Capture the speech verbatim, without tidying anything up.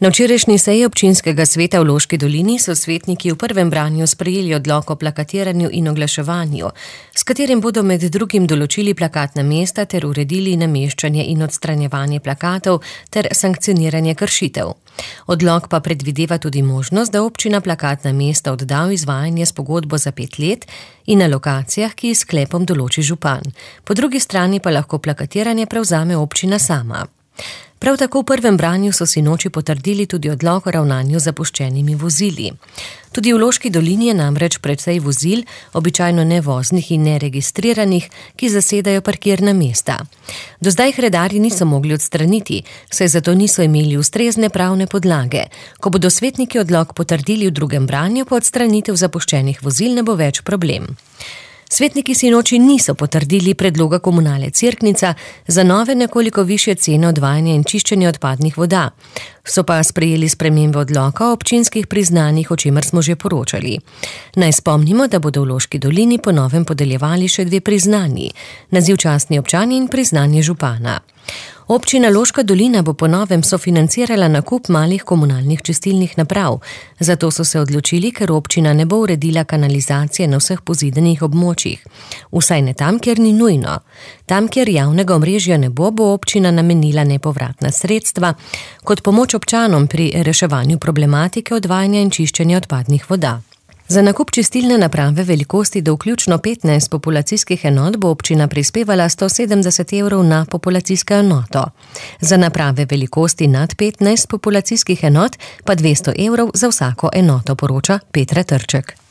Na včerajšnji seji občinskega sveta v Loški dolini so svetniki v prvem branju sprejeli odlok o plakatiranju in oglaševanju, s katerim bodo med drugim določili plakatna mesta ter uredili nameščanje in odstranjevanje plakatov ter sankcioniranje kršitev. Odlok pa predvideva tudi možnost, da občina plakatna mesta odda v izvajanje s pogodbo za pet let in na lokacijah, ki s sklepom določi župan. Po drugi strani pa lahko plakatiranje prevzame občina sama. Prav tako v prvem branju so sinoči potrdili tudi odlok o ravnanju z zapuščenimi vozili. Tudi v Loški dolini je namreč precej vozil, običajno nevoznih in neregistriranih, ki zasedajo parkirna mesta. Do zdaj jih redarji niso mogli odstraniti, saj zato niso imeli ustrezne pravne podlage. Ko bodo svetniki odlok potrdili v drugem branju, pa odstranitev zapuščenih vozil ne bo več problem. Svetniki sinoči niso potrdili predloga komunale Cerknica za nove nekoliko višje cene odvajanja in čiščenja odpadnih voda. So pa sprejeli spremembe odloka o občinskih priznanjih, o čemer smo že poročali. Naj spomnimo, da bodo v Loški dolini po novem podeljevali še dve priznanji, naziv častni občani in priznanje župana. Občina Loška dolina bo po novem sofinancirala nakup malih komunalnih čistilnih naprav, zato so se odločili, ker občina ne bo uredila kanalizacije na vseh pozidanih območjih. Vsaj ne tam, kjer ni nujno. Tam, kjer javnega omrežja ne bo, bo občina namenila nepovratna sredstva kot pomoč občanom pri reševanju problematike odvajanja in čiščenja odpadnih voda. Za nakup čistilne naprave velikosti do vključno petnajst populacijskih enot bo občina prispevala sto sedemdeset evrov na populacijsko enoto. Za naprave velikosti nad petnajst populacijskih enot pa dvesto evrov za vsako enoto, poroča Petra Trček.